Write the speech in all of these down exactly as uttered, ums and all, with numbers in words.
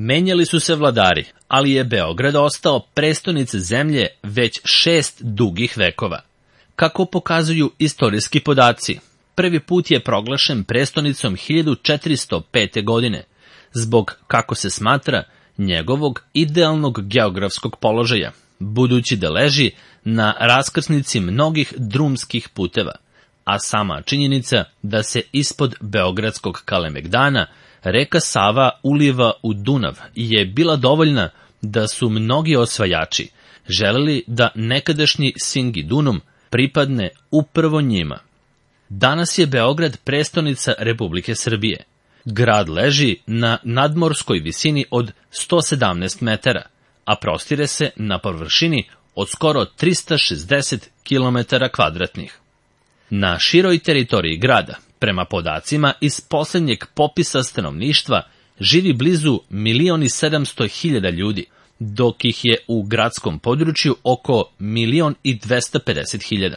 Menjali su se vladari, ali je Beograd ostao prestonica zemlje već šest dugih vekova. Kako pokazuju istorijski podaci, prvi put je proglašen prestonicom hiljadu četiristo pete. godine, zbog, kako se smatra, njegovog idealnog geografskog položaja, budući da leži na raskrsnici mnogih drumskih puteva, a sama činjenica da se ispod Beogradskog Kalemegdana reka Sava uliva u Dunav je bila dovoljna da su mnogi osvajači želeli da nekadašnji Singidunum pripadne upravo njima. Danas je Beograd prestonica Republike Srbije. Grad leži na nadmorskoj visini od sto sedamnaest metara, a prostire se na površini od skoro trista šezdeset kilometara kvadratnih. Na široj teritoriji grada, prema podacima iz posljednjeg popisa stanovništva, živi blizu milion i sedamsto hiljada ljudi, dok ih je u gradskom području oko milion i dvesta pedeset hiljada,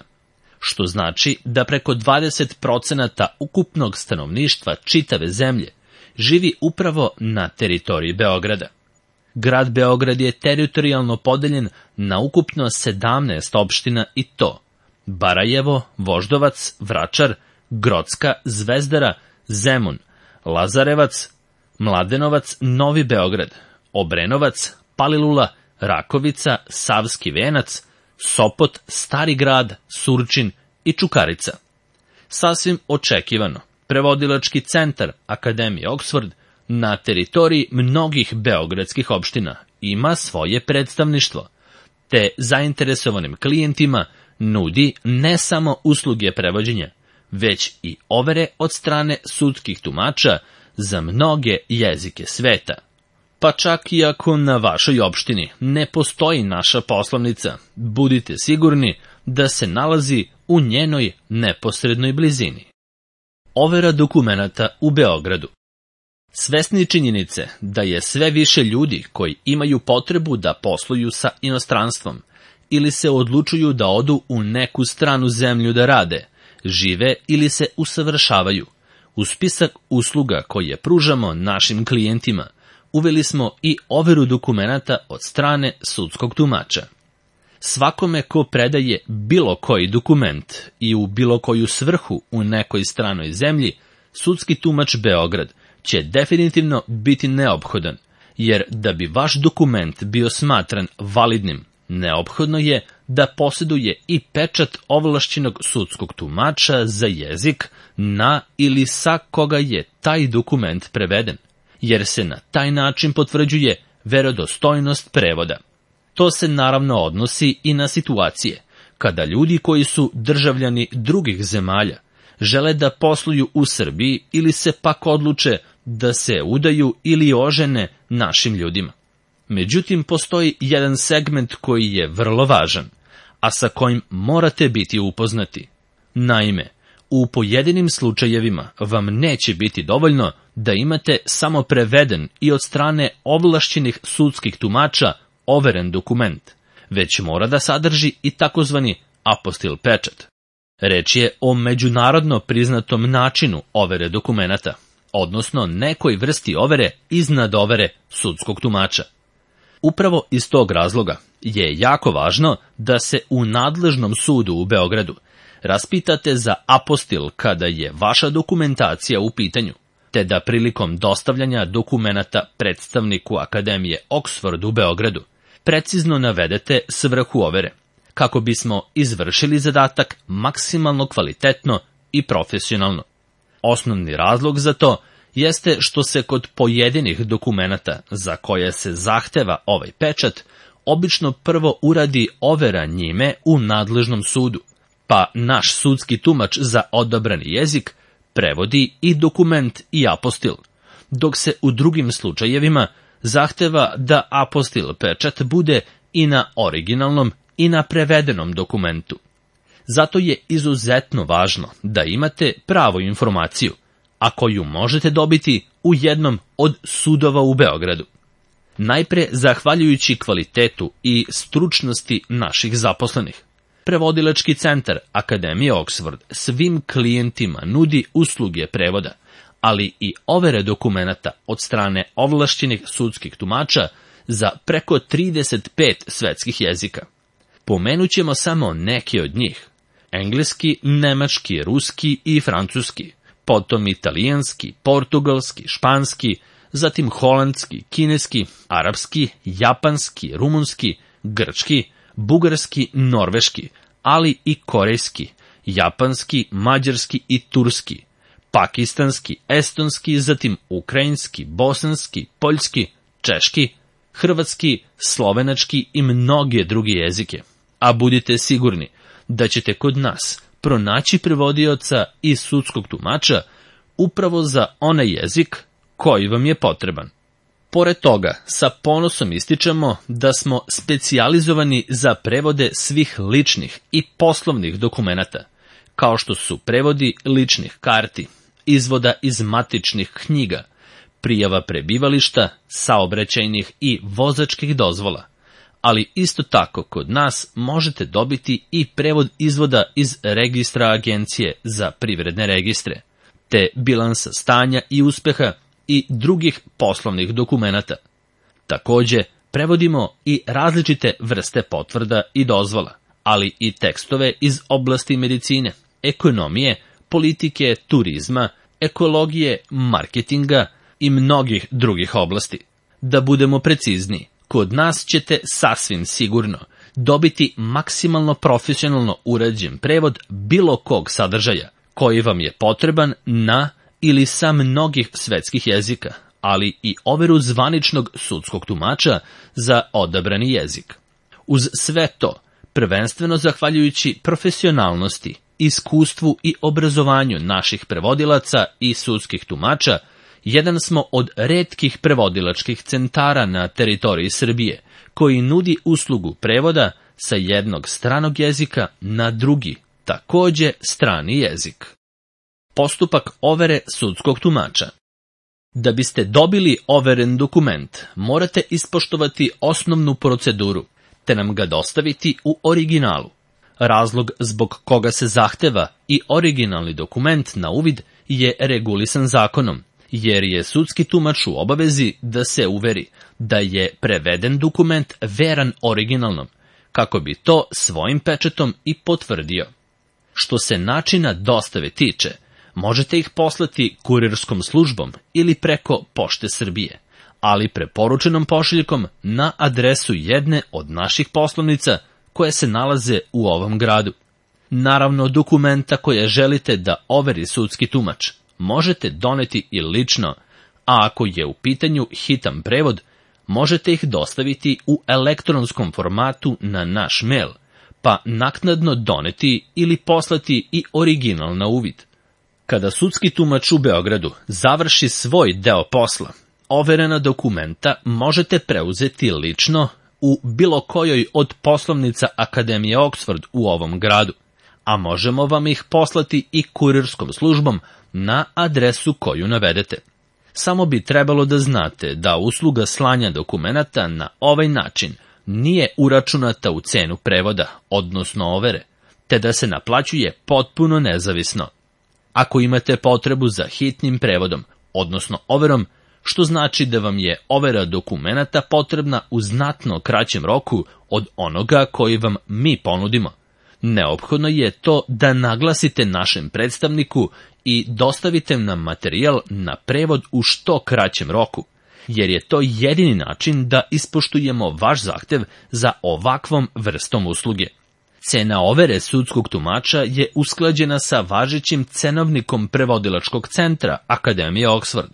što znači da preko dvadeset procenata ukupnog stanovništva čitave zemlje živi upravo na teritoriji Beograda. Grad Beograd je teritorijalno podeljen na ukupno sedamnaest opština i to: Barajevo, Voždovac, Vračar, Grocka, Zvezdara, Zemun, Lazarevac, Mladenovac, Novi Beograd, Obrenovac, Palilula, Rakovica, Savski Venac, Sopot, Stari grad, Surčin i Čukarica. Sasvim očekivano, prevodilački centar Akademije Oxford na teritoriji mnogih beogradskih opština ima svoje predstavništvo, te zainteresovanim klijentima nudi ne samo usluge prevođenja, već i overe od strane sudskih tumača za mnoge jezike sveta. Pa čak i ako na vašoj opštini ne postoji naša poslovnica, budite sigurni da se nalazi u njenoj neposrednoj blizini. Overa dokumenata u Beogradu. Svesni činjenice da je sve više ljudi koji imaju potrebu da posluju sa inostranstvom ili se odlučuju da odu u neku stranu zemlju da rade, žive ili se usavršavaju, u spisak usluga koje pružamo našim klijentima uveli smo i overu dokumenata od strane sudskog tumača. Svakome ko predaje bilo koji dokument i u bilo koju svrhu u nekoj stranoj zemlji, sudski tumač Beograd će definitivno biti neophodan, jer da bi vaš dokument bio smatran validnim, neophodno je da posjeduje i pečat ovlašćenog sudskog tumača za jezik na ili sa koga je taj dokument preveden, jer se na taj način potvrđuje verodostojnost prevoda. To se naravno odnosi i na situacije kada ljudi koji su državljani drugih zemalja žele da posluju u Srbiji ili se pak odluče da se udaju ili ožene našim ljudima. Međutim, postoji jedan segment koji je vrlo važan, a sa kojim morate biti upoznati. Naime, u pojedinim slučajevima vam neće biti dovoljno da imate samo preveden i od strane ovlašćenih sudskih tumača overen dokument, već mora da sadrži i takozvani apostil pečat. Reč je o međunarodno priznatom načinu overe dokumenata, odnosno nekoj vrsti overe iznad overe sudskog tumača. Upravo iz tog razloga je jako važno da se u nadležnom sudu u Beogradu raspitate za apostil kada je vaša dokumentacija u pitanju, te da prilikom dostavljanja dokumenata predstavniku Akademije Oxford u Beogradu precizno navedete svrhu overe, kako bismo izvršili zadatak maksimalno kvalitetno i profesionalno. Osnovni razlog za to jeste što se kod pojedinih dokumenata za koje se zahteva ovaj pečat, obično prvo uradi overa njime u nadležnom sudu, pa naš sudski tumač za odabrani jezik prevodi i dokument i apostil, dok se u drugim slučajevima zahteva da apostil pečat bude i na originalnom i na prevedenom dokumentu. Zato je izuzetno važno da imate pravu informaciju, a koju možete dobiti u jednom od sudova u Beogradu. Najpre zahvaljujući kvalitetu i stručnosti naših zaposlenih. Prevodilački centar Akademije Oxford svim klijentima nudi usluge prevoda, ali i overe dokumenata od strane ovlašćenih sudskih tumača za preko trideset pet svetskih jezika. Pomenut ćemo samo neke od njih: engleski, nemački, ruski i francuski, potom italijanski, portugalski, španski, zatim holandski, kineski, arapski, japanski, rumunski, grčki, bugarski, norveški, ali i korejski, japanski, mađarski i turski, pakistanski, estonski, zatim ukrajinski, bosanski, poljski, češki, hrvatski, slovenački i mnoge druge jezike. A budite sigurni da ćete kod nas pronaći prevodioca i sudskog tumača upravo za onaj jezik koji vam je potreban. Pored toga, sa ponosom ističemo da smo specijalizovani za prevode svih ličnih i poslovnih dokumenata, kao što su prevodi ličnih karti, izvoda iz matičnih knjiga, prijava prebivališta, saobraćajnih i vozačkih dozvola, ali isto tako kod nas možete dobiti i prevod izvoda iz registra Agencije za privredne registre, te bilansa stanja i uspeha i drugih poslovnih dokumenata. Takođe, prevodimo i različite vrste potvrda i dozvola, ali i tekstove iz oblasti medicine, ekonomije, politike, turizma, ekologije, marketinga i mnogih drugih oblasti. Da budemo precizniji, kod nas ćete sasvim sigurno dobiti maksimalno profesionalno urađen prevod bilo kog sadržaja koji vam je potreban na ili sa mnogih svetskih jezika, ali i overu zvaničnog sudskog tumača za odabrani jezik. Uz sve to, prvenstveno zahvaljujući profesionalnosti, iskustvu i obrazovanju naših prevodilaca i sudskih tumača, jedan smo od retkih prevodilačkih centara na teritoriji Srbije, koji nudi uslugu prevoda sa jednog stranog jezika na drugi, takođe strani jezik. Postupak overe sudskog tumača. Da biste dobili overen dokument, morate ispoštovati osnovnu proceduru, te nam ga dostaviti u originalu. Razlog zbog koga se zahteva i originalni dokument na uvid je regulisan zakonom, jer je sudski tumač u obavezi da se uveri da je preveden dokument veran originalnom, kako bi to svojim pečatom i potvrdio. Što se načina dostave tiče, možete ih poslati kurirskom službom ili preko Pošte Srbije, ali preporučenom pošiljkom na adresu jedne od naših poslovnica koje se nalaze u ovom gradu. Naravno, dokumenta koje želite da overi sudski tumač možete doneti i lično, a ako je u pitanju hitan prevod, možete ih dostaviti u elektronskom formatu na naš mail, pa naknadno doneti ili poslati i original na uvid. Kada sudski tumač u Beogradu završi svoj deo posla, overena dokumenta možete preuzeti lično u bilo kojoj od poslovnica Akademije Oxford u ovom gradu, a možemo vam ih poslati i kurirskom službom na adresu koju navedete. Samo bi trebalo da znate da usluga slanja dokumenata na ovaj način nije uračunata u cenu prevoda, odnosno overe, te da se naplaćuje potpuno nezavisno. Ako imate potrebu za hitnim prevodom, odnosno overom, što znači da vam je overa dokumenata potrebna u znatno kraćem roku od onoga koji vam mi ponudimo, neophodno je to da naglasite našem predstavniku i dostavite nam materijal na prevod u što kraćem roku, jer je to jedini način da ispoštujemo vaš zahtev za ovakvom vrstom usluge. Cena overe sudskog tumača je usklađena sa važećim cenovnikom prevodilačkog centra Akademije Oxford,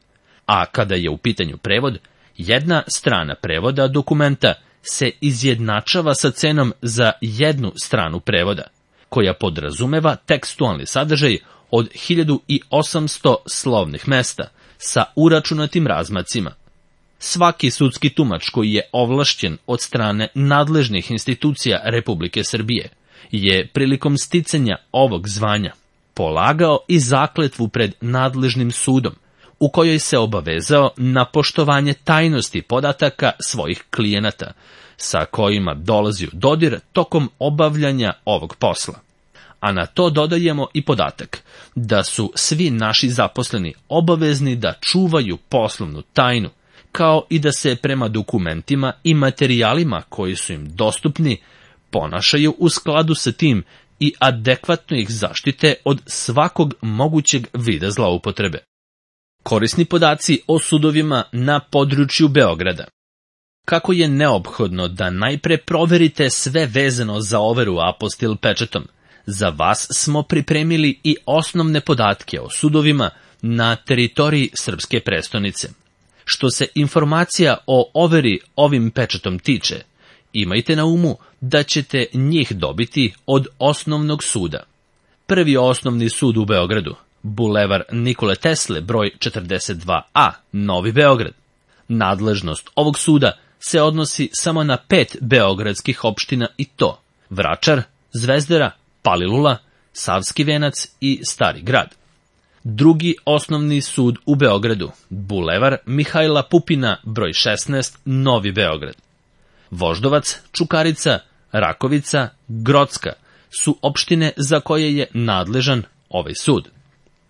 a kada je u pitanju prevod, jedna strana prevoda dokumenta se izjednačava sa cenom za jednu stranu prevoda, koja podrazumeva tekstualni sadržaj od hiljadu osamsto slovnih mesta sa uračunatim razmacima. Svaki sudski tumač koji je ovlašćen od strane nadležnih institucija Republike Srbije je prilikom sticanja ovog zvanja polagao i zakletvu pred nadležnim sudom, u kojoj se obavezao na poštovanje tajnosti podataka svojih klijenata, sa kojima dolazi u dodir tokom obavljanja ovog posla. a na to dodajemo i podatak da su svi naši zaposleni obavezni da čuvaju poslovnu tajnu, kao i da se prema dokumentima i materijalima koji su im dostupni ponašaju u skladu sa tim i adekvatno ih zaštite od svakog mogućeg vida zloupotrebe. Korisni podaci o sudovima na području Beograda. Kako je neophodno da najpre proverite sve vezano za overu apostil pečatom, za vas smo pripremili i osnovne podatke o sudovima na teritoriji Srpske prestonice. Što se informacija o overi ovim pečatom tiče, imajte na umu da ćete njih dobiti od osnovnog suda. Prvi osnovni sud u Beogradu, Bulevar Nikole Tesle, broj četrdeset dva a, Novi Beograd. Nadležnost ovog suda se odnosi samo na pet beogradskih opština i to: Vračar, Zvezdara, Palilula, Savski Venac i Stari Grad. Drugi osnovni sud u Beogradu, Bulevar Mihajla Pupina, broj šesnaest, Novi Beograd. Voždovac, Čukarica, Rakovica, Grocka su opštine za koje je nadležan ovaj sud.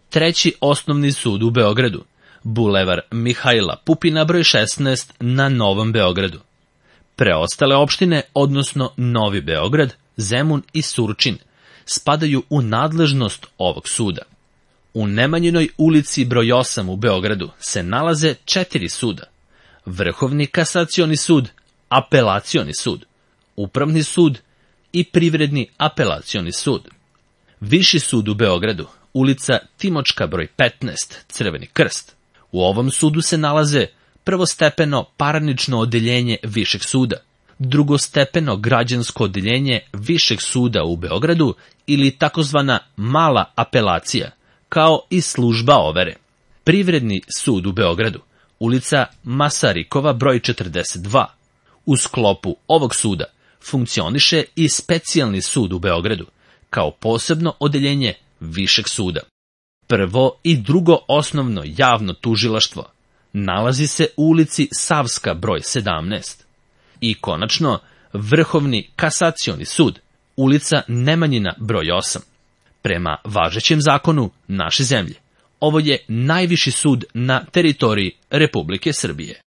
Treći osnovni sud u Beogradu, Bulevar Mihajla Pupina, broj šesnaest, na Novom Beogradu. Preostale opštine, odnosno Novi Beograd, Zemun i Surčin, spadaju u nadležnost ovog suda. U Nemanjinoj ulici broj osam u Beogradu se nalaze četiri suda: Vrhovni kasacioni sud, Apelacioni sud, Upravni sud i Privredni apelacioni sud. Viši sud u Beogradu, ulica Timočka broj petnaest, Crveni krst. U ovom sudu se nalaze prvostepeno parnično odeljenje Višeg suda, drugostepeno građansko odeljenje Višeg suda u Beogradu ili takozvana mala apelacija, kao i služba overe. Privredni sud u Beogradu, ulica Masarikova broj četrdeset dva. U sklopu ovog suda funkcioniše i specijalni sud u Beogradu, kao posebno odeljenje Višeg suda. Prvo i drugo osnovno javno tužilaštvo nalazi se u ulici Savska broj sedamnaest. I konačno, Vrhovni kasacioni sud, ulica Nemanjina broj osam. Prema važećem zakonu naše zemlje, ovo je najviši sud na teritoriji Republike Srbije.